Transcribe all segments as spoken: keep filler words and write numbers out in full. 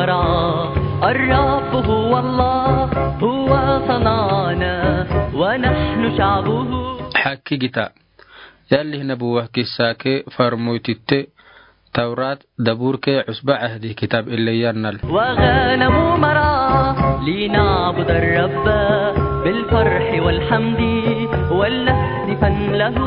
الرب هو الله، هو صنعنا ونحن شعبه. Hakkigita. Yalli nabuwa kissa ke farmoy titte, Tawrat, Dabur ke, Usba Ahdi kitab ille yannal. وغنم مرعى لنعبد الرب بالفرح والحمد ولنهتفن له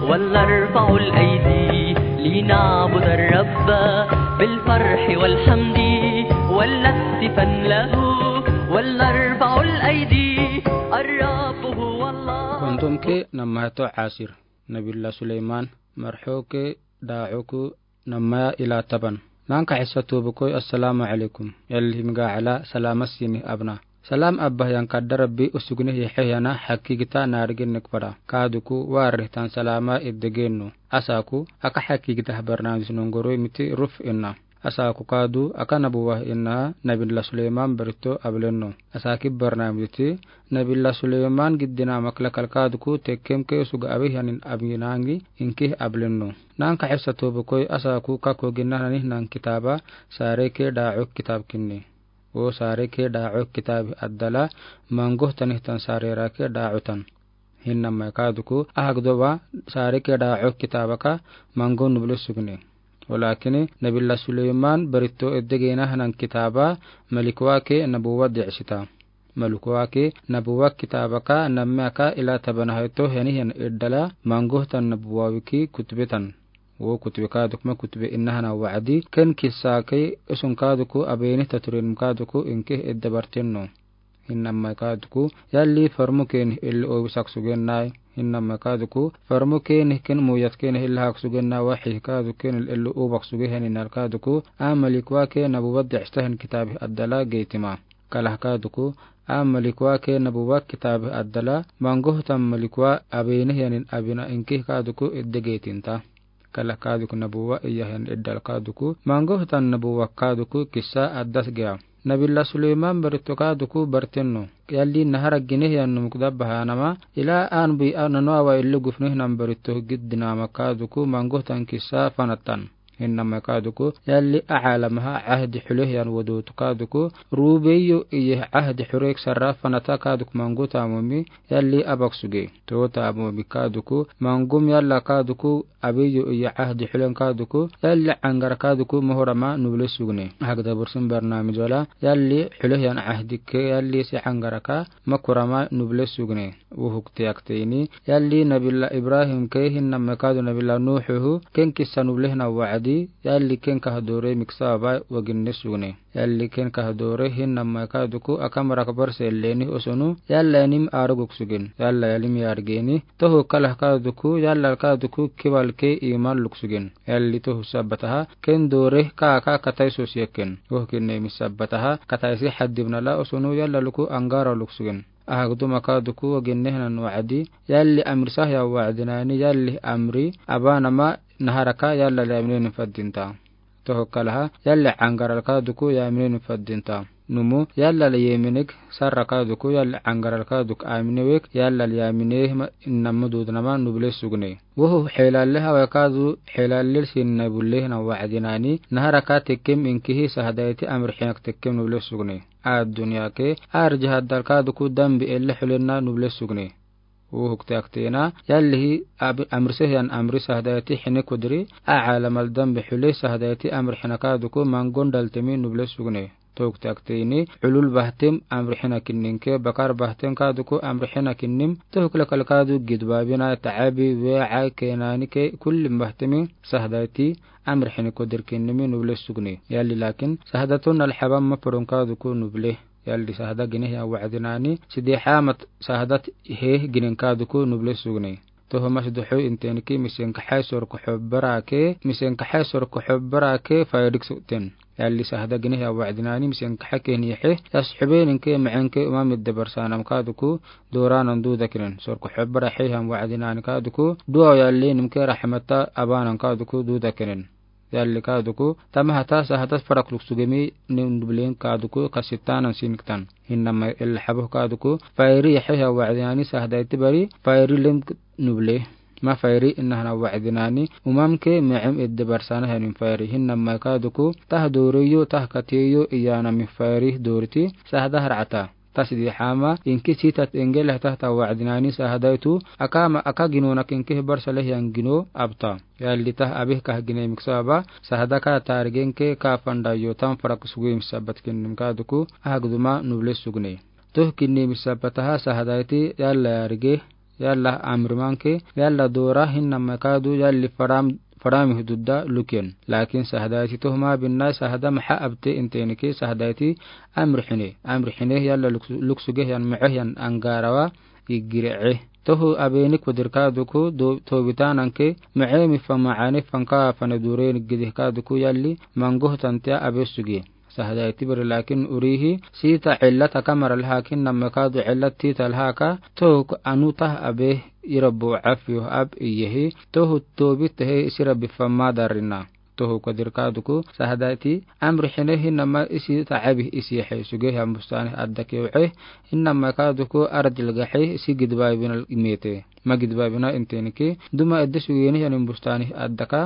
ولنرفع الأيدي لنعبد الرب بالفرح والحمد ولنهتفن له ولنرفع الأيدي. الرب هو الله. Kontom ke namma to asir. Nabiyullah Suleyman, marxo ke daaxoku namma ila taban. Nanka hissa toobakoi, assalamu alaykum. Yalli himga ala salama sini abna. Salam abba yan kadda Rabbi usugni hixe yana hakkigita naarigin nikpada. Kaaduku warihtan salama iddegennu. Asaku, aka hakkigita barnaamij nongoroi miti ruf inna. Asaku kaadu, aka nabuwa inna, Nabiyullah Suleyman barito ablennu. Asaki barnaamij ti, Nabiyullah Suleyman giddina makla kalkaaduku tekkem ke usuga awi hanin abinangi inki ablennu. Nanka hissa toobakoi asaku kako ginna nani nan kitaba, sare ke daaxok kitab kinni. O sare ke daaxok kitab addala, mangoh tanihtan sarera ke daaxotan. Hinna mai kaaduku, ahagdoba, sare ke daaxok kitabaka, mangoh nuble sugne. Walakini, Nabiyullah Suleyman barito eddegena hanan kitaba, malikwa ke nabuwa decsita. Malikwa ke nabuwa kitabaka, nammeka ila tabana haito heni hen eddala, mangoh tan nabuwa wiki kutbetan. Wo kutbe kaaduk ma kutbe inna hana wacdi, ken kissa ke usun kaaduku, abeni taturin kaaduku, inke edda bartenno. Hinna mai kaaduku, yalli farmu ken illi obi sak sugen nai. Hinna mai kaaduku, farmu ken ken muyat ken illi hak sugen nai, waxi kaadu ken illi obi hak sugen heni nar kaaduku, a malikwa ke nabuwa decsita hen kitabi addala geitima. Kalah kaaduku, a malikwa ke nabuwa kitabi addala, mangoh tan malikwa abeni yanin abina inki kaaduku edde geitinta. Kala kaaduku nabuwa iya hen eddal kaaduku, mangoh tan nabuwa kaaduku kissa addas gea. Nabiyullah Suleyman barito kaaduku bartenno. Yalli nahara gine yan numuk dabba hanama, ila an bui a nano awa illi gufnih nan barito giddinama kaaduku, mangoh tan kissa fanatan. Hinna mai kaaduku, yalli a alamaha ahdi xuleh yan wadotu kaaduku, rubeyo iye ahdi xurek sarra fanata kaaduku mangoh tamomi, yalli abak suge. Too tamomi kaaduku, mangom yalla kaaduku, abeyo iya ahdi xulen kaaduku, yalli angara kaaduku, mohorama nuble sugne. Hagda bursin barnaamij wala, yalli xuleh yan ahdi ke, yalli si angara ka, makurama nuble sugne. Wuhuk tiyak teini, yalli Nabiyullah Ibrahim ke hinna mai kaadu Nabiyullah Nuhuhu, ken kissa nuble hna wacdi, yalli ken kahdoore miksa aba waginne sugne. Yalli ken kahdoore hinna mai kaaduku akam rakbar sellenih osonu, yalla yanim aruguk sugen. Yalla yalim yargeni, tohu kalah kaaduku, yalla kaaduku kibal ke iman luk sugen. Yalli tohu sabbataha, ken doore ka aka katai sosiyaken. Woh kinne mi sabbataha, katai si haddibnala osonu yalla luku angara luk sugen. Ahagduma kaaduku waginne hnan wacdi, yalli amri sahya wacdi nani, yalli amri, abanama naharaka yalla liyaminen faddinta. Tohu kalaha, yalli angaral kaaduku yaminen faddinta. Numu, yalla liyeminik, sarra kaaduku, yalli angaral kaaduk aminewek, yalla liyamine ma innama dudnama nuble sugne. Wohu xelalle hawa kaadu, xelalle sinna bulle hna wacdi nani, naharaka tekkem inkihi sahdayti amri xinak tekkem nuble sugne. Addunya ke, arji haddal kaaduku dambi elle xulenna nuble sugne. Wohuk tiyak teina, yallihi ab-, amri sehyan amri sahdayti xine kudri, a alamal dambi xule sahdayti amri xina kaaduku mangon daltemi nuble sugne. Tohuk tiyak teini, ulul bahtem amri xina kinnin ke, bakar bahtem kaaduku amri xina kinnim, tohuk lakal kaadu gidbabina, tacabi, weca, kenani ke, kullin bahtemi, sahdayti, amri xini kudir kinnimi nuble sugne. Yalli lakin, sahdatun alxabam ma purun kaaduku nuble. Yalli sahda gineh ya wacdi nani, sidi xamat sahdat heh ginen kaaduku nuble sugne. Tohu mas duxu intenki misen kaxay sorko xobbarake, misen kaxay sorko xobbarake faydik suten. Yalli sahda gineh ya wacdi nani misen kaxay kenixe, yas xubeeninke macenke uma midde barsanam kaaduku, dooranan duda kinen. Sorko xobbara xehan wacdi nani kaaduku, duwa yalli nimke raxmata abanan kaaduku duda kinen. Yalli kaaduku, tamahata sahdat farak luk sugemi nin nublen kaaduku kasitanan siniktan. Hinama el xabuh kaaduku, fayri yaxeha wacdi nani sahdayti bari, fayri lem nuble. Ma fayri, inaha na wa'dinani, umamke me'em edde barsana hanin fayri. Hinna mai kaduku, tah doriyo, tah katiyo, iyana mi fayri doriti, sahda har'ata. Tasdi hama, inki sitat engel tah ta wa'dinani sahda itu, akama aka gino na kinki barsa leh yan gino abta. Yalli tah abih kah gine miksa aba, sahda ka targenke ka fanda yo tam farak sugui misabat kinnim kaduku, ahagduma nuble sugne. Tuh kinni misabataha sahda iti yalla yarige, yalla amrimanke, yalla dora hinna mai kadu yalli faram, farami hududda luken. Lakin sahda iti tuh ma binna sahda maha abte intenike sahda iti amrihine. Amrihine yalla luksu-, luksuge yan me'eh yan angarawa igire. Tuh abenik wadir kaduku do, tobitananke me'emi fa ma'ane fanka fane dure nigidih kaduku yalli mangoh tantia abe suge. Sahda iti bari lakin urihi, sita illat aka mara lahakin nama kadu illat tita lahaka, tuk anu tah abe irabu afiyo ab iyehi, tuh tobit he isi rabi fama darina. Tuh kadir kaduku, sahda iti, amrihine hinama isi ta abi isi he suge ham bustani adda kew'e, hinama kaduku ardil gahe isi gidba binal imete. Ma gidba bina intenike, duma edde sugeni yanin bustani adda ka,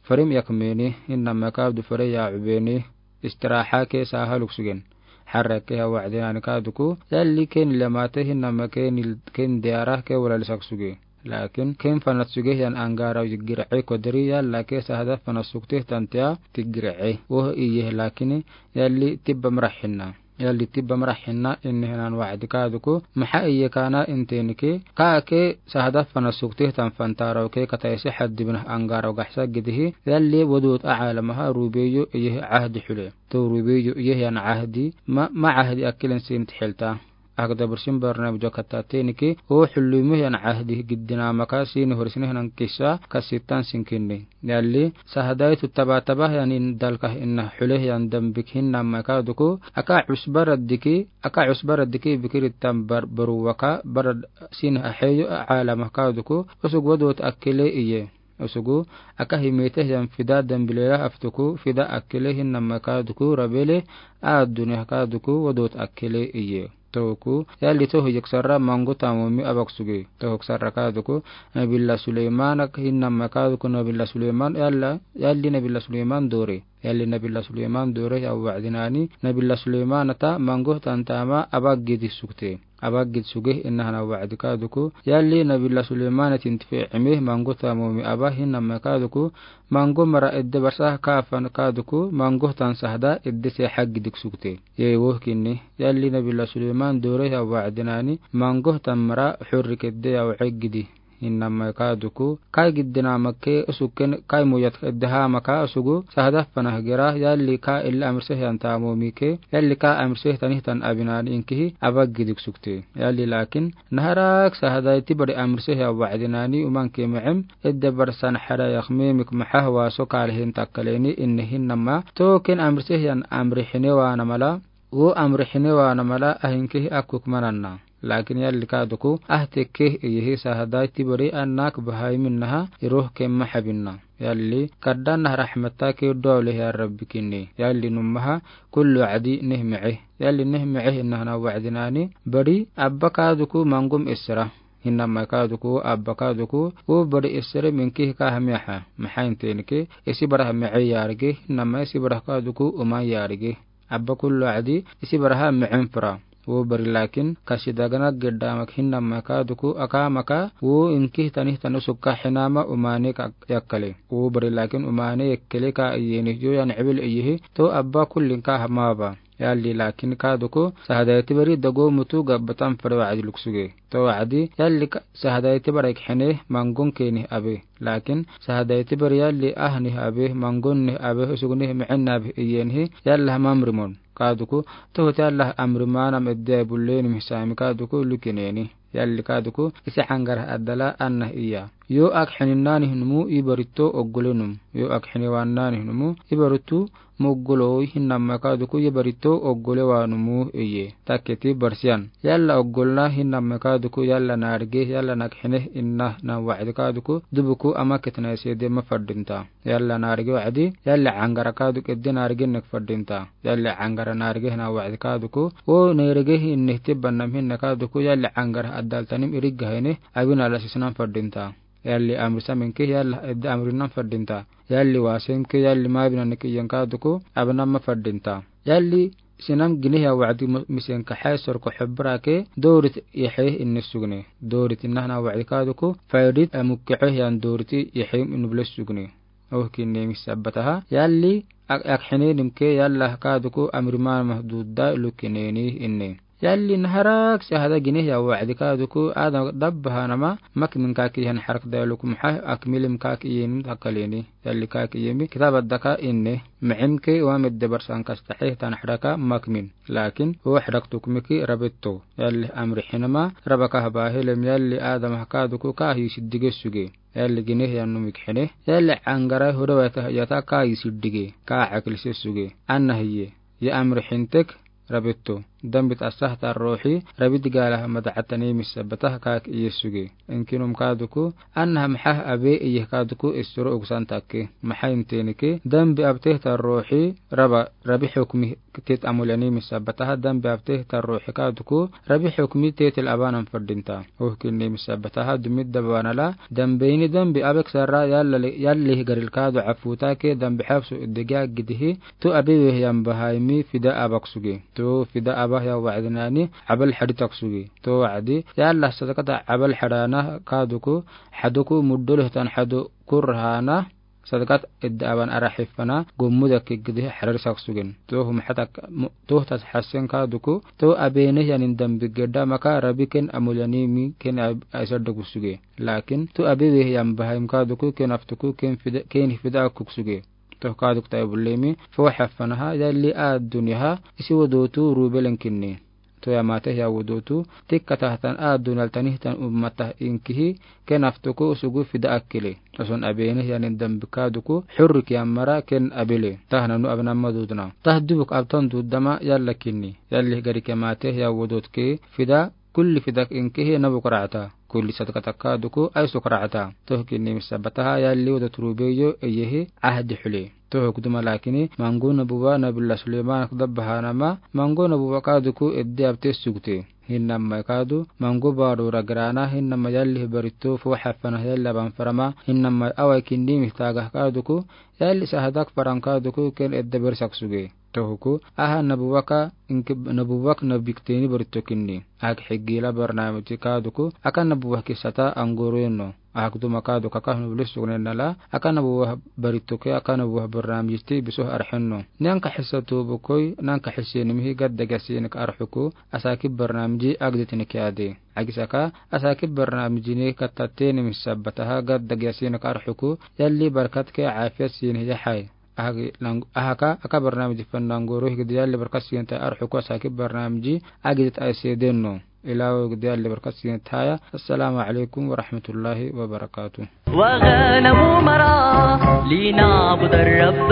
farim yakmeni, hinama kadu fare ya ubeni. Istiraha ke saha luksugen. Harra ke ha wa'dinani kaduku, yalli ken lemate hinama ken il-, ken diara ke wala lisak suge. Lakin ken fanat suge yan angara yigir'e kodri yalla ke sahda fanat sukte tantia tigir'e. Woh iye lakini yalli tibba marahinna. Yalli tibba marahinna inni hinan wa'di kaduku, maha iye kana intenike, ka ke sahda fanat sukte tan fantaro ke kataisi haddi bina angara gahsa gidihi, yalli wudut a'alamaha rubeyo iye ahdi hule. To rubeyo iye yan ahdi, ma, ma ahdi akilen sin tihilta. Akda bursin barna bujo katatenike, o hulumi yan ahdi giddina maka sin horisine hinan kisa kasitan sinkinni. Yalli, sahda itu taba-taba yan in dalka inna hule yan dambik hinna maka duku, aka usbara diki, aka usbara diki bikiri tam bar-, baru waka, bara sin aheyo a'alamaka duku, usug wudut akile iye. Usugu, aka himete yan fida dambilela aftuku, fida akile hinna maka duku, rabele, a dunia ka duku, wudut akile iye. Toku, yalli tohu yiksara mangu tamumi abak suge. Tohu ksara ka duku, Nabilla Suleimana hinna maka duku, Nabilla Suleiman, yalla, yalli Nabilla Suleiman dore. Yalli Nabilla Suleiman dore ya wa'dinani, Nabilla Suleiman ta mangu tantama abak gidi sukte. Abak gid suge inna hana wa'di kaduku. Yalli Nabilla Suleiman tintife ime mangu tamumi aba hinna maka duku. Mangu mara edde barsa kafan kaduku. Mangu tan sahda edde se haggi dik sukte. Ye woh kinni. Yalli Nabilla Suleiman dore ya wa'dinani. Mangu tan mara hurrik edde ya wa'gidi. Hinna mai ka duku, kai giddina make usuken kai muyat eddeha maka usugu, sahda fanah gera, yalli ka illa amrseh yan tamumi ke, yalli ka amrseh tanih tan abinan inkihi, abak gidik sukte. Yalli lakin, naharak sahda iti bari amrseh ya wa'dinani uman ke me'em, edde barsan hara yakmemik mahah waso kalihin takkaleni innihin nama, token amrseh yan amrihine wa namala, wo amrihine wa namala ahinkihi akuk mananna. Lakin yalli ka duku, ah tekke iyihi sahda iti bari annak bahai minnaha iroh kemma habinna. Yalli kaddan nah rahmatta ke dole ya Rabbi kinni. Yalli nummaha kullu adi neh me'e. Yalli neh me'e inna hana wa'dinani. Bari abba ka duku mangum isra. Hinna mai ka duku, abba ka duku, wo bari isra minki ka hamiaha. Mahain tenke, isi bara me'e yarge, hinna mai isi bara ka duku, uma yarge. Abba kullu adi, isi baraha me'en fura. Wo bari lakin, kasi dagana gedda mak hinna maka duku, aka maka, wo inki tanih tanu sukka hinama umane ka yakkale. Wo bari lakin umane yakkale ka iyeni yo yan ibil iyihi, to abba kullin ka hamaba. Yalli lakin ka duku, sahda iti bari dago mutu gabbatan fura wa'di luksuge. To wa'di, yalli ka, sahda iti bari khene, mangun keni abe. Lakin, sahda iti bari yalli ah nih abe, mangun nih abe, usug nih me'en abe, iyenihi, yalla hamamrimon. Ka duku, tohot yalla amrimanam edde bulleni misami ka duku, lukineni. Yalli ka duku, isi angar adala anna iya. Yo ak hininnani numu ibarito oggolenum. Yo ak hiniwannani numu ibarito mogolo hinna maka duku ibarito oggole wanumu iye. Taketi barsian. Yalla oggolna hinna maka duku yalla narge yalla nak hine inna na wa'di ka duku dubuku ama ketna sede ma fadinta. Yalla narge wa'di, yalla angara ka duku edde narge nek fadinta. Yalla angara narge na wa'di ka duku, o narge hinne tibbanam hinna ka duku yalla angara adaltanim irigga hine, abin ala sisnam fadinta. Yaali amri samin ke, yaali edde amri nan fadinta. Yaali wasen ke, yaali mabi nan ke, yan kaduku, abnan ma fadinta. Yaali sinam gineh ya wadi mu-, misen kahe sorko xubra ke, dorit yehe inne sugne. Dorit inna hana wadi kaduku, faidit amukke yan dorit yehe inne bule sugne. Oh kinne mi sabbataha. Yaali ak, ak hine nim ke yaalla kaduku amri ma mahduda lukineni inne. Yaali naharak sahada gineh ya wadi kaduku ada dabbahanama mak min kaki han harak da lukum ha ak milim kaki yin takaleni. Yaali kaki yemi kitab addaka inne. Ma'im ke wa medde barsan kastahe tan haraka mak min. Lakin wa harak tukmiki rabetto. Yaali amri hinama rabaka haba helem yaali adam kaduku kahi siddige suge. Yaali gineh ya numik hine. Yaali angara huda wata yata kahi siddige. Ka akil se suge. Anna hiye. Ya amri hintek rabetto. Dambit asah ta ruhi. Rabit gala mada atani mi sabbataha kaki iye suge. Inkinum kaduku. Anna mahah abe iye kaduku isuro ugsan takke. Maha inteni ke. Dambi abteh ta ruhi. Raba, rabi hukmi tet amulani mi sabbataha dambi abteh ta ruhi kaduku. Rabi hukmi tetel abanan fadinta. Oh kinne mi sabbataha dumit dabanala. Dambi ini dambi abek sarra yaali, yaali garil kadu afuta ke dambi hafsu idega gidihi. Tu abi weh yan bahaimi fida abak suge. Tu fida abah ya wa'dinani abal hadi tak suge. Tu wa'di yaalla sadakata abal hadana kaduku haduku muddoleh tan hadu kurhana sadakat edda aban ara hifana gommuda kigdihi harar sak sugen. Tu hum hatak mu-, tu tas hasen kaduku tu abene yanin dambi gedda maka rabi ken amulani mi ken ab-, aisadda ku suge. Lakin tu abi weh yan bahaim kaduku ken aftuku ken fida, ken fida kuk suge. Toh kaaduk ta ibulemi foo hafanaha yaali adunya ha isi wodotu rubelen kinni. Toya mate ya wodotu tikka tahtan adunya altani hitan ummatah inkihi ken aftuku sugu fida akile. Oson abene yanin dambi kaaduku hurri ki amara ken abile. Tah nanu abnamma dudna. Tah dubuk abtan dudama yaalla kinni. Yaali gari ke mate ya wodot ke fida kulli fidak inkihi nabu karata. Kulli sadaka takka duku aisu karata. Toh kinni mi sabbataha yaali wada turubeyo eyehi ahdi hule. Toh kuduma lakini mangu nabuwa Nabiyullah Suleyman kudabbahanama mangu nabuwa kaaduku edde abte sugte. Hinnamma kaadu mangu baadu ragrana hinnamma yaali barito foo hafana yaali aban farama hinnamma awai kinni mi taga kaaduku yaali sahadak faran kaaduku ken edde bersak suge. Tohuku, aha nabuwaka, inki nabuwak nabikteni barito kinni. Ahak higila barnamiji kaaduku, aka nabuwak kisata angorono. Ahak duma kaaduku aka nubilis sugnenala, aka nabuwak barito ke, aka nabuwak barnamiji ti bisoh arhenno. Nanka hisa tubukoi, nanka hisa nimihi gadda gasi nika arhuku, asaki barnamiji agdetini kiade. Agisaka, asaki barnamiji ni katateni mi sabbataha gadda gasi nika arhuku, yaali barkat ke afiyat sini yahai. Ahaki lang-, ahaka, aka barnamiji fan nangoro higdi yaali barkat sinta arhuku asaki barnamiji agidit aisedenno. Ilawo higdi yaali barkat sinta ya. Assalamu alaikum warahmatullahi wabarakatuh. وغنم مرعى لنعبد الرب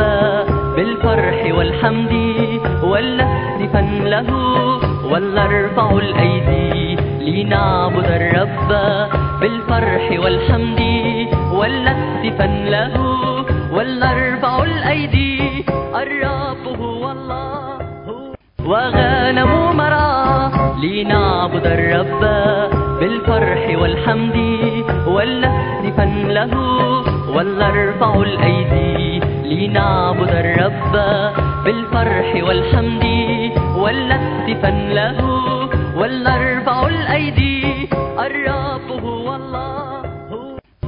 بالفرح والحمد ولنهتفن له ولنرفع الأيدي لنعبد الرب بالفرح والحمد ولنهتفن له ولنرفع الأيدي الرب هو الله. وغنم مرعى لنعبد الرب بالفرح والحمد ولنهتفن له ولنرفع الأيدي لنعبد الرب بالفرح والحمد ولنهتفن له ولنرفع الأيدي الرب هو الله.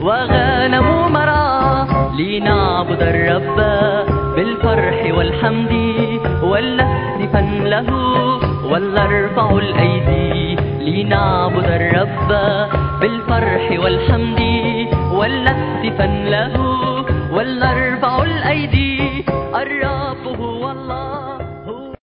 وغنم مرعى لنعبد الرب بالفرح والحمد ولنهتفن له ولنرفع الأيدي لنعبد الرب بالفرح والحمد ولنهتفن له ولنرفع الأيدي الرب هو الله.